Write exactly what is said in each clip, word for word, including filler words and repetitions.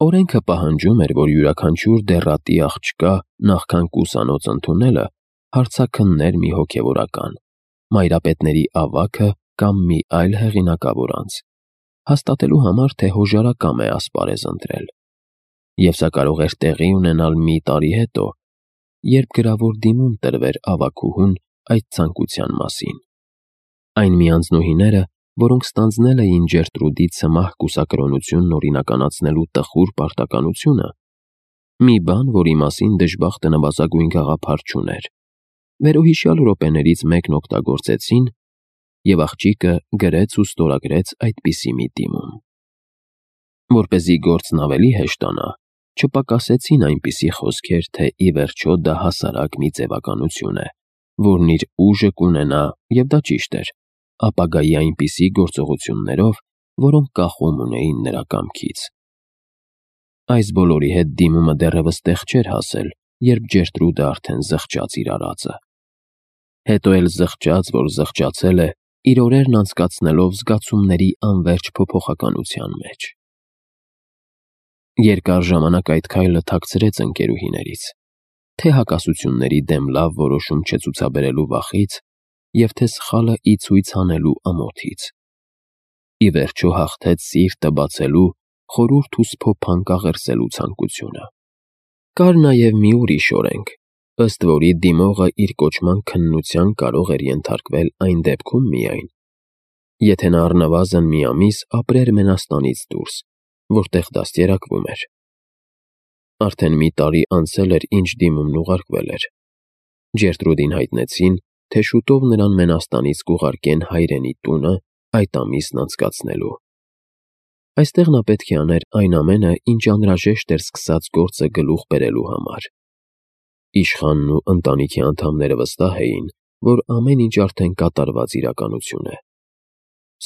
Օրենքը պահանջում էր, որ յուրաքանչյուր դեռատի աղջկա նախքան կուսանոց ընդունելը հարցաքններ մի հոգևորական, մայրապետների ավագը կամ մի այլ հեղինակավոր անձ, հաստատելու համար, թե հոժարակամ է ասպարեզ ընտրել, և սա կարող էր տեղի ունենալ մի տարի հետո, երբ գրավոր դիմում տրվեր ավագուհուն այդ ցանկության մասին։ Այն մի անձնուհիները, որոնք ստանձնել էին Ջերտրուդի ցմահ կուսակրոնությունն օրինականացնելու տխուր պարտականությունը, մի բան, որի մասին դժբախտը նվազագույն գաղափար չուներ, վերոհիշյալ րոպեներից մեկն օգտագործեցին, և աղջիկը գրեց ու ստորագրեց այդպիսի մի դիմում։ Որպեսզի գործն ավելի հեշտանա, չպակասեցին այնպիսի խոսքեր, թե ի վերջո դա հասարակ մի ձևականություն է, որն իր ուժը կունենա, և դա ճիշտ էր, ապագայի այնպիսի գործողություններով, որոնք կախում ունեին նրա կամքից։ Այս բոլորի հետ դիմումը դեռևս տեղ չէր հասել, երբ Ջերտրուդը արդեն զղջաց իր արածը։ Հետո էլ զղջաց, որ զղջացել է, իր օրերն անցկացնելով զգացումների անվերջ փոփոխականության մեջ։ Երկար ժամանակ այդ քայլը թաքցրեց ընկերուհիներից, թե հակասությունների դեմ լավ որոշում չցուցաբերելու վախից, և թե սխալը ի ցույց անելու ամոթից։ Ի վերջո հաղթեց սիրտը բացելու, խորհուրդ ու սփոփանք աղերսելու ցանկությունը։ Կար նաև մի ուրիշ օրենք, ըստ որի դիմողը իր կոչման քննության կարող էր ենթարկվել այն դեպքում միայն, եթե նա առնվազն մի ամիս ապրեր Մենաստանից դուրս, որտեղ դաստիարակվում էր։ Արդեն մի տարի անցել էր, ինչ դիմումն ուղարկվել էր։ Ջերտրուդին հայտնեցին, թե շուտով նրան Մենաստանից կուղարկեն հայրենի տունը այդ ամիսն անցկացնելու։ Այստեղ նա պետք է աներ այն ամենը, ինչ անհրաժեշտ էր սկսած գործը գլուխ բերելու համար։ Իշխանն ու ընտանիքի անդամները վստահ էին, որ ամեն ինչ արդեն կատարված իրականություն է։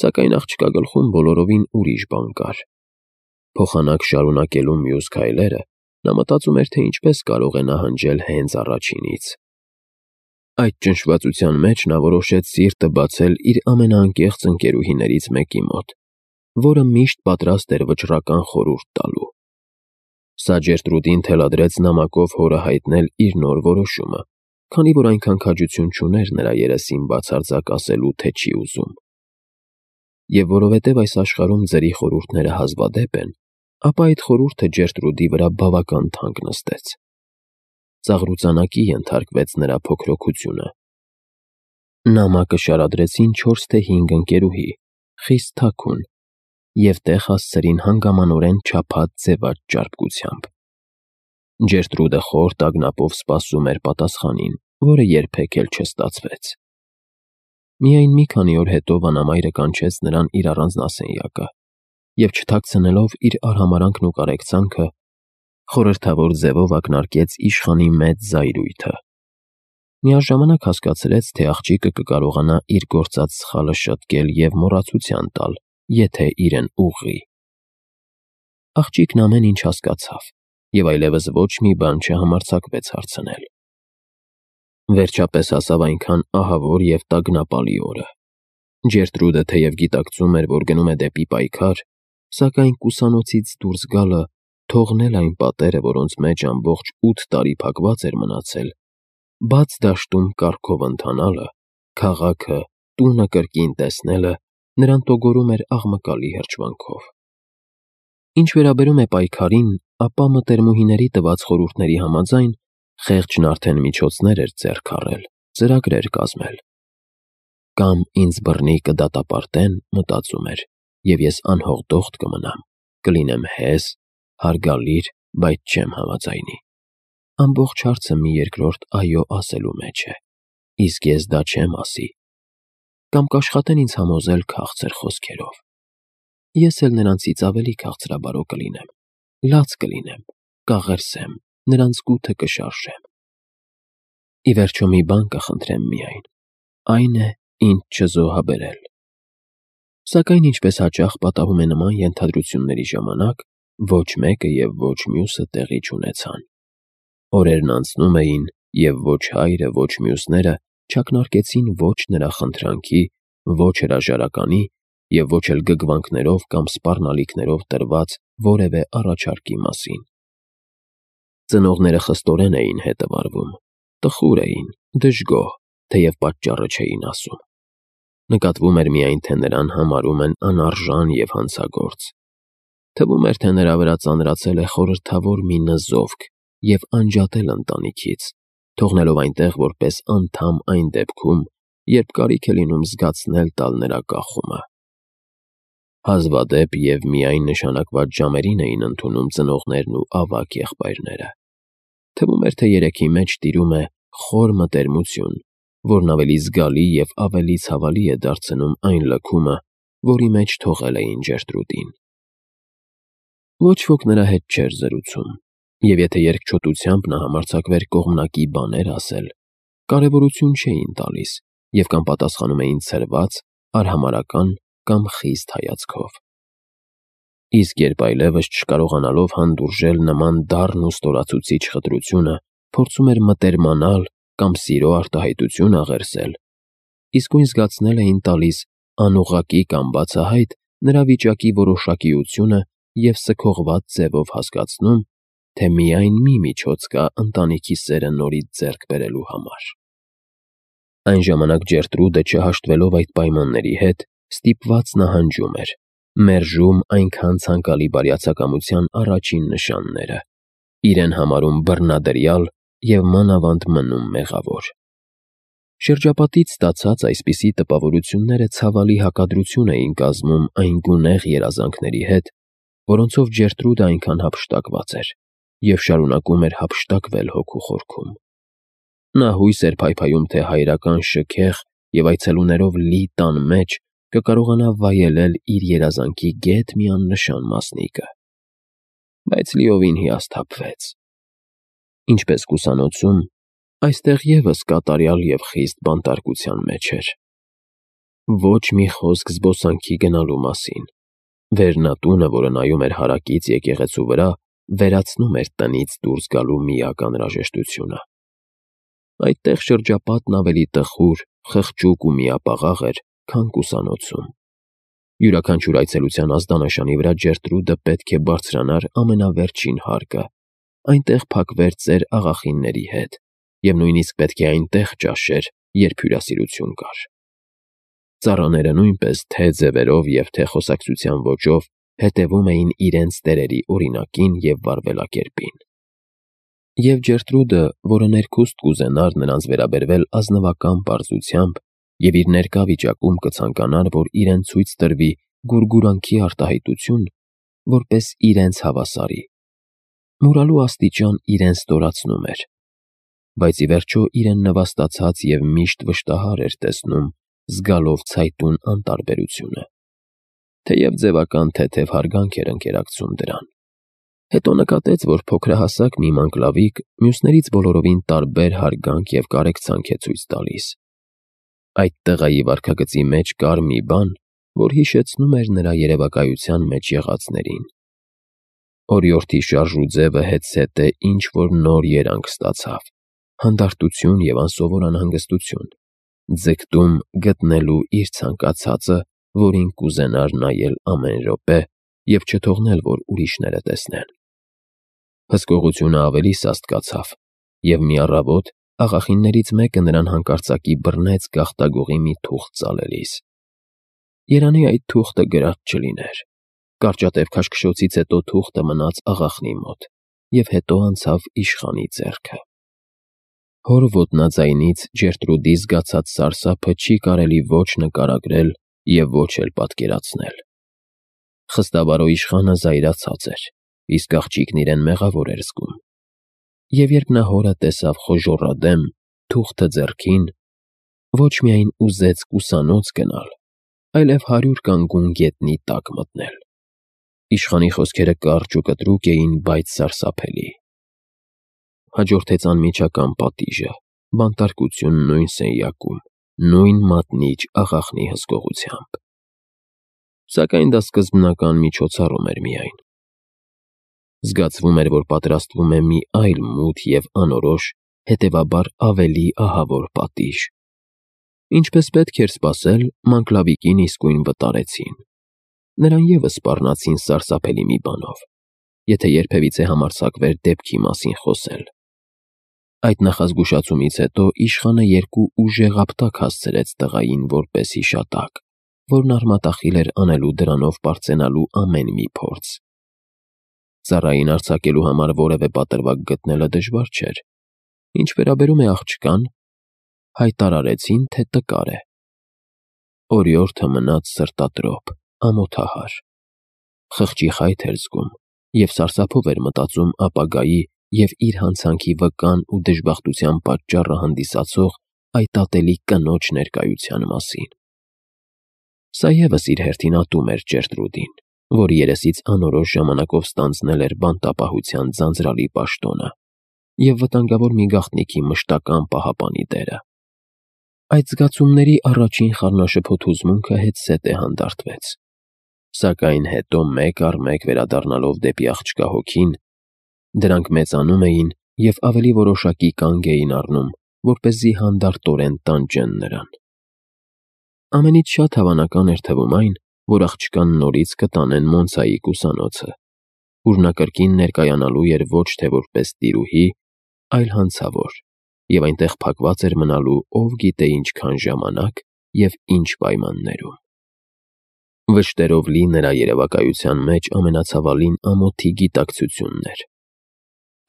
Սակայն աղջկա գլխում բոլորովին ուրիշ բան կար։ Փոխանակ շարունակելու մյուս քայլերը նա մտածում էր, թե ինչպես կարող է նահանջել հենց առաջինից։ Այդ ճնշվածության մեջ նա որոշեց սիրտը բացել իր ամենաանկեղծ ընկերուհիներից մեկի մոտ, որը միշտ պատրաստ էր վճռական խորհուրդ տալու։ Սա Ջերտրուդին թելադրեց նամակով հորը հայտնել իր նոր որոշումը, քանի որ այնքան քաջություն չուներ նրա երեսին բացարձակ ասելու, թե չի ուզում։ Եվ որովհետև այս աշխարհում ձերի խորհուրդները հազվադեպ են, ապա այդ խորհուրդը Ջերտրուդի վրա բավական թանկ նստեց։ Ծաղրուծանակի ենթարկվեց նրա փոքրոքությունը։ Նամակը շարադրեցին չորս թե հինգ ընկերուհի, խիստ թաքուն, և տեղ հասցրին հանգամանորեն չափած ձևաճ ճարպկությամբ։ Ջերտրուդը խոր տագնապով սպասում էր պատասխանին, որը երբեք էլ չստացվեց։ Միայն մի քանի օր հետո վանամայրը կանչեց նրան իր առանձնասենյակը և, չթաքցնելով իր արհամարհանքն ու կարեկցանքը, խորհրդավոր ձևով ակնարկեց իշխանի մեծ զայրույթը։ Միաժամանակ հասկացրեց, թե աղջիկը կկարողանա իր գործած սխալը շտկել և մոռացության տալ, եթե իրեն ուղղի։ Աղջիկն ամեն ինչ հասկացավ և այլևս ոչ մի բան չհամարձակվեց հարցնել։ Վերջապես հասավ այնքան ահավոր և տագնապալի օրը։ Ջերտրուդը թեև գիտակցում էր, որ գնում է դեպի պայքար, սակայն կուսանոցից դուրս գալը, թողնել այն պատերը, որոնց մեջ ամբողջ ութ տարի փակված էր մնացել, բաց դաշտում կառքով ընթանալը, քաղաքը, տունը կրկին տեսնելը նրան տոգորում էր աղմկալի հրճվանքով։ Ինչ վերաբերում է պայքարին, ապա մտերմուհիների տված խորհուրդների համաձայն խեղճն արդեն միջոցներ էր ձեռք առել, ծրագրեր կազմել։ Կամ ինձ բռնի կդատապարտեն, մտածում էր, և ես անհողդողդ կմնամ, կլինեմ հեզ, հարգալիր, բայց չեմ համաձայնի։ Ամբողջ հարցը մի երկրորդ այո ասելու մեջ է, իսկ ես դա չեմ ասի։ Կամ կաշխատեն ինձ համոզել քաղցր խոսքերով։ Ես էլ նրանցից ավելի քաղցրաբարո կլինեմ, լաց կլինեմ, կաղերսեմ, նրանց գութը կշարժեմ։ Ի վերջո մի բան կխնդրեմ միայն, այն է, ինձ չզոհաբերել։ Սակայն ինչպես հաճախ պատահում է նման ենթադրությունների ժամանակ, ոչ մեկը և ոչ մյուսը տեղի չունեցան։ Օրերն անցնում էին, և ոչ հայրը, ոչ մյուսները չակնարկեցին ոչ նրա խնդրանքի, ոչ հրաժարականի, և ոչ էլ գգվանքներով կամ սպառնալիքներով տրված որևէ առաջարկի մասին։ Ծնողները խստորեն էին հետը վարվում, տխուր էին, դժգոհ, թեև պատճառը չէին ասում։ Նկատվում էր միայն, թե նրան համարում են անարժան և հանցագործ։ Թվում էր, թե նրա վրա ծանրացել է խորհրդավոր մի նզովք և անջատել ընտանիքից, թողնելով այնտեղ որպես անդամ այն դեպքում, երբ կարիք է լինում զգացնել տալ նրա կախումը։ Հազվադեպ և միայն նշանակված ժամերին էին ընդունում ծնողներն ու ավագ եղբայրները։ Թվում էր, թե երեքի մեջ տիրում է խոր մտերմություն, որն ավելի զգալի և ավելի ցավալի է դարձնում այն լքումը, որի մեջ թողել էին Ջերտրուդին։ Ոչ ոք նրա հետ չէր զրուցում, և եթե երկչոտությամբ նա համարձակվեր կողմնակի բաներ ասել, կարևորություն չէին տալիս և կամ պատասխանում էին ցրված, արհամարհական կամ խիստ հայացքով։ Իսկ երբ այլևս չկարողանալով հանդուրժել նման դառն ու ստորացուցիչ խտրությունը, փորձում էր մտերմանալ կամ սիրո արտահայտություն աղերսել, իսկույն զգացնել էին տալիս անուղղակի կամ բացահայտ նրա վիճակի որոշակիությունը և սգողված ձևով հասկացնում, թե միայն մի միջոց կա ընտանիքի սերը նորից ձեռք բերելու համար։ Այն ժամանակ Ջերտրուդը, չհաշտվելով այդ պայմանների հետ, ստիպված նահանջում էր, մերժում այնքան ցանկալի բարյացակամության առաջին նշանները, իրեն համարում բռնադրյալ և մանավանդ մնում մեղավոր։ Շրջապատից ստացած այսպիսի տպավորությունները ցավալի հակադրություն էին կազմում այն գունեղ երազանքների հետ, որոնցով Ջերտրուդը այնքան հափշտակված էր և շարունակում էր հափշտակվել հոգու խորքում։ Նա հույս էր փայփայում, թե հայրական շքեղ և այցելուներով լի տան մեջ կկարողանա վայելել իր երազանքի գեթ մի աննշան մասնիկը։ Բայց լիովին հիասթափվեց։ Ինչպես կուսանոցում, այստեղ ևս կատարյալ և խիստ բանտարկության մեջ էր։ Ոչ մի խոսք զբոսանքի գնալու մասին։ Վերնատունը, որը նայում էր հարակից եկեղեցու վրա, վերացնում էր տնից դուրս գալու միակ անհրաժեշտությունը։ Այդտեղ շրջապատն ավելի տխուր, խղճուկ ու միապաղաղ էր, քան կուսանոցում։ Յուրաքանչյուր այցելության ազդանշանի վրա Ջերտրուդը պետք է բարձրանար ամենավերջին հարկը, այնտեղ փակվեր ծեր աղախինների հետ, և նույնիսկ պետք է այնտեղ ճաշեր, երբ հյուրասիրություն կար։ Ծառաները նույնպես թե՛ ձևերով և թե՛ խոսակցության ոճով հետևում էին իրենց տերերի օրինակին և վարվելակերպին։ Եվ Ջերտրուդը, որը ներքուստ կուզենար նրանց վերաբերվել ազնվական պարզությամբ և իր ներկա վիճակում կցանկանար, որ իրեն ցույց տրվի գուրգուրանքի արտահայտություն, որպես իրենց հավասարի, մուրալու աստիճան իրեն ստորացնում էր, բայց ի վերջո իրեն նվաստացած և միշտ վշտահար էր տեսնում, զգալով ցայտուն անտարբերությունը, թեև ձևական թեթև հարգանք էր ընկերակցում դրան։ Հետո նկատեց, որ փոքրահասակ մի մանկլավիկ մյուսներից բոլորովին տարբեր հարգանք և կարեկցանք է ցույց տալիս։ Այդ տղայի վարքագծի մեջ կար մի բան, որ հիշեցնում էր նրա երևակայության մեջ եղածներին։ Օրիորդի շարժուձևը հետզհետե ինչ-որ նոր երանգ ստացավ, հանդարտություն և անսովոր անհանգստություն, ձգտում գտնելու իր ցանկացածը, որին կուզենար նայել ամեն րոպե և չթողնել, որ ուրիշները տեսնեն։ Հսկողությունը ավելի սաստկացավ, և մի առավոտ աղախիններից մեկը նրան հանկարծակի բռնեց գաղտագողի մի թուղթ ծալելիս։ Երանի այդ թուղթը գրած չլիներ։ Կարճատև քաշքշոցից հետո թուղթը մնաց աղախնի մոտ և հետո անցավ իշխանի ձեռքը։ Հոր ոտնաձայնից Ջերտրուդի զգացած սարսափը չի կարելի ոչ նկարագրել և ոչ էլ պատկերացնել։ Խստաբարո իշխանը զայրացած էր, իսկ աղջիկն իրեն մեղավոր էր զգում։ Եվ երբ նա հորը տեսավ խոժոռադեմ, թուղթը ձեռքին, ոչ միայն ուզեց կուսանոց գնալ, այլև հարյուր կանգուն գետնի տակ մտնել։ Իշխանի խոսքերը կարճ ու կտրուկ էին, բայց սարսափելի։ Հաջորդեց անմիջական պատիժը, բանտարկություն նույն սենյակում, նույն մատնիչ աղախնի հսկողությամբ։ Սակայն դա սկզբնական միջոցառում էր միայն։ Զգացվում էր, որ պատրաստվում է մի այլ մութ և անորոշ, հետևաբար ավելի ահավոր պատիժ։ Ինչպես պետք էր սպասել, Մանկլավիկին իսկույն վտարեցին. նրան ևս սպառնացին սարսափելի մի բանով, եթե երբևիցե համարձակվեր դեպքի մասին խոսել։ Այդ նախազգուշացումից հետո իշխանը երկու ուժեղ ապտակ հասցրեց տղային որպես հիշատակ, որն արմատախիլ էր անելու դրանով պարծենալու ամեն մի փորձ։ Ծառային արձակելու համար որևէ պատրվակ գտնելը դժվար չէր։ Ինչ վերաբերում է աղջկան, հայտարարեցին, թե տկար է։ Օրիորդը մնաց սրտատրոփ, ամոթահար։ Խղճի խայթ էր զգում և սարսափով էր մտածում ապագայի և իր հանցանքի վկան ու դժբախտության պատճառը հանդիսացող այդ ատելի կնոջ ներկայության մասին։ Սա ևս իր հերթին ատում էր Գերտրուդին, որի երեսից անորոշ ժամանակով ստանձնել էր բանտապահության ձանձրալի պաշտոնը և վտանգավոր մի գաղտնիքի մշտական պահապանի դերը։ Այդ զգացումների առաջին խառնաշփոթ հուզմունքը հետզհետե հանդարտվեց, սակայն հետո մեկ առ մեկ վերադառնալով դեպի աղջկա հոգին, դրանք մեծանում էին և ավելի որոշակի կանգ էին առնում, որպեսզի հանդարտորեն տանջեն նրան։ Ամենից շատ հավանական էր թվում այն, որ աղջկան նորից կտանեն Մոնցայի կուսանոցը, ուր նա կրկին ներկայանալու էր ոչ թե որպես տիրուհի, այլ հանցավոր, և այնտեղ փակված էր մնալու ով գիտե ինչքան ժամանակ և ինչ պայմաններում։ Վշտերով լի նրա երևակայության մեջ ամենացավալին ամոթի գիտակցությունն էր։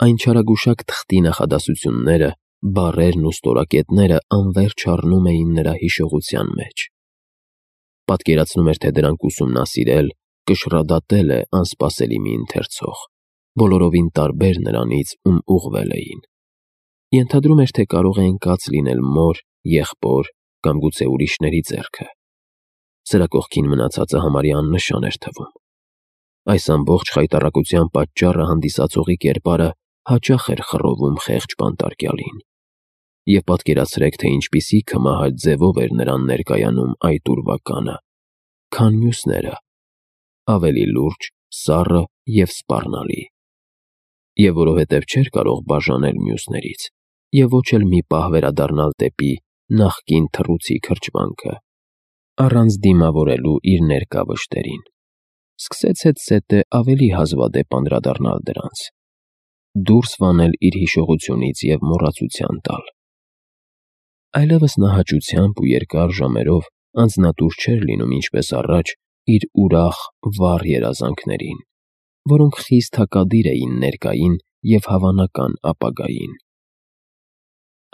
Այն չարագուշակ թղթի նախադասությունները, բառերն ու ստորակետները անվերջ առնում էին նրա հիշողության մեջ։ Պատկերացնում էր, թե դրանք ուսումնասիրել, կշռադատել է անսպասելի մի ընթերցող, բոլորովին տարբեր նրանից, ում ուղղվել էին։ Ենթադրում էր, թե կարող է ընկած լինել մոր, եղբոր կամ գուցե ուրիշների ձեռքը։ Սրա կողքին մնացածը համարյա աննշան էր թվում։ Այս ամբողջ խայտառակության պատճառը հանդիսացողի կերպարը հաճախ էր խռովում խեղճ բանտարկյալին։ Եվ պատկերացրեք, թե ինչպիսի քմահաճ ձևով էր նրան ներկայանում այդ ուրվականը, քան մյուսները, ավելի լուրջ, սառը և սպառնալի։ Եվ որովհետև չէր կարող բաժանել մյուսներից, և ոչ էլ մի պահ վերադառնալ դեպի նախկին թռուցիկ հրճվանքը, առանց դիմավորելու իր ներկա վշտերին, սկսեց հետզհետե ավելի հազվադեպ անդրադառնալ դրանց, դուրս վանել իր հիշողությունից և մոռացության տալ։ Այլևս նա հաճությամբ ու երկար ժամերով անձնատուր չէր լինում ինչպես առաջ իր ուրախ, վառ երազանքներին, որոնք խիստ հակադիր էին ներկային և հավանական ապագային։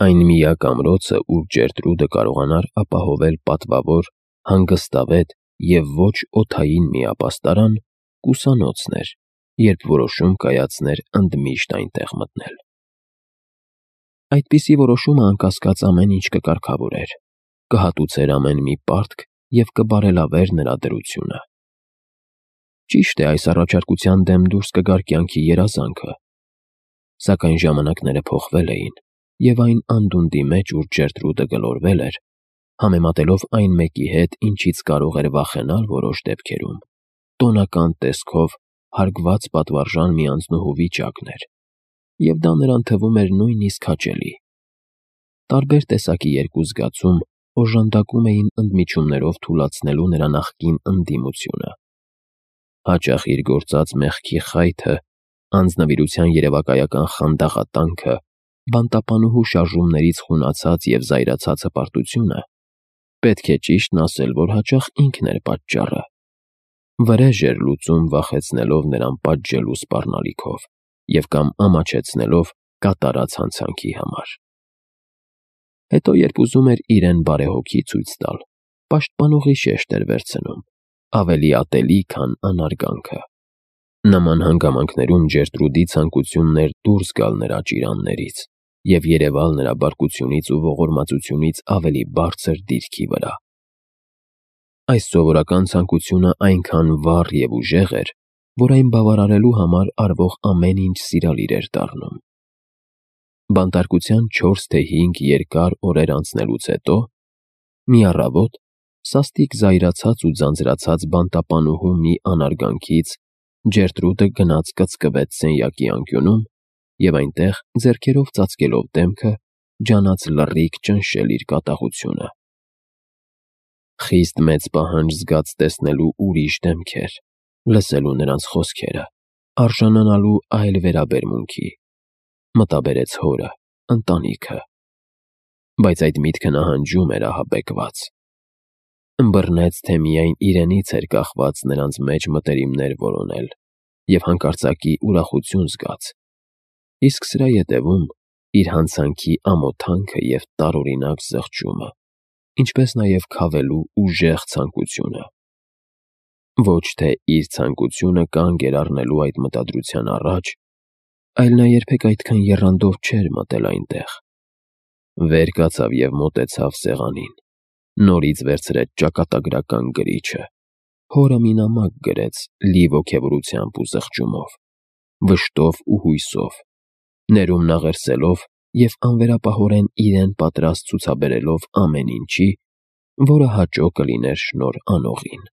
Այն միակ ամրոցը, ուր Գերտրուդը կարողանար ապահովել պատվավոր, հանգստավետ և ոչ օդային մի ապաստարան, կուսանոցն էր, երբ որոշում կայացներ ընդմիշտ այնտեղ մտնել։ Այդպիսի որոշումը անկասկած ամեն ինչ կկարգավորեր, կհատուցեր ամեն մի պարտք և կբարելավեր նրա դրությունը։ Ճիշտ է, այս առաջարկության դեմ դուրս կգար կյանքի երազանքը, սակայն ժամանակները փոխվել էին, և այն անդունդի մեջ, ուր Գերտրուդը գլորվել էր, համեմատելով այն մեկի հետ, ինչից կարող էր վախենալ որոշ դեպքերում, տոնական տեսքով հարգված պատվարժան մի անձնուհու վիճակն էր, և դա նրան թվում էր նույնիսկ հաճելի։ Տարբեր տեսակի երկու զգացում օժանդակում էին ընդմիջումներով թուլացնելու նրա նախկին ընդդիմությունը։ Հաճախ իր գործած մեղքի խայթը, անձնվիրության երևակայական խանդաղատանքը, բանտապանուհու շարժումներից խունացած և զայրացած հպարտությունը, պետք է ճիշտն ասել, որ հաճախ ինքն էր պատճառը, վրեժ էր լուծում վախեցնելով նրան պատժելու սպառնալիքով և կամ ամաչեցնելով կատարած հանցանքի համար։ Հետո, երբ ուզում էր իրեն բարեհոգի ցույց տալ, պաշտպանողի շեշտ էր վերցնում, ավելի ատելի, քան անարգանքը։ Նման հանգամանքներում Գերտրուդի ցանկությունն էր դուրս գալ նրա ճիրաններից և երևալ նրա բարկությունից ու ողորմածությունից ավելի բարձր դիրքի վրա։ Այս սովորական ցանկությունը այնքան վառ և ուժեղ էր, որ այն բավարարելու համար արվող ամեն ինչ սիրալիր էր դառնում։ Բանտարկության չորս թե հինգ երկար օրեր անցնելուց հետո, մի առավոտ, սաստիկ զայրացած ու ձանձրացած բանտապանուհու մի անարգանքից Գերտրուդը գնաց կծկվեց սենյակի անկյունում և այնտեղ, ձեռքերով ծածկելով դեմքը, ջանաց լռիկ ճնշել իր կատաղությունը։ Խիստ մեծ պահանջ զգաց տեսնելու ուրիշ դեմքեր, լսելու նրանց խոսքերը, արժանանալու այլ վերաբերմունքի։ Մտաբերեց հորը, ընտանիքը։ Բայց այդ միտքը նահանջում էր ահաբեկված։ Ըմբռնեց, թե միայն իրենից էր կախված նրանց մեջ մտերիմներ որոնել և հանկարծակի ուրախություն զգաց, իսկ սրա ետևում իր հանցանքի ամոթանքը և տարօրինակ զղջումը, ինչպես նաև քավելու ուժեղ ցանկությունը։ Ոչ թե իր ցանկությունը կանգ էր առնելու այդ մտադրության առաջ, այլ նա երբեք այդքան եռանդով չէր մտել այնտեղ։ Վեր կացավ և մոտեցավ սեղանին, նորից վերցրեց ճակատագրական գրիչը, հորը մի նամակ գրեց լի ոգևորությամբ ու զղջումով, վշտով ու հույսով, ներումն աղերսելով և անվերապահորեն իրեն պատրաստ ցուցաբերելով ամեն ինչի, որը հաճո կլիներ շնորհ անողին։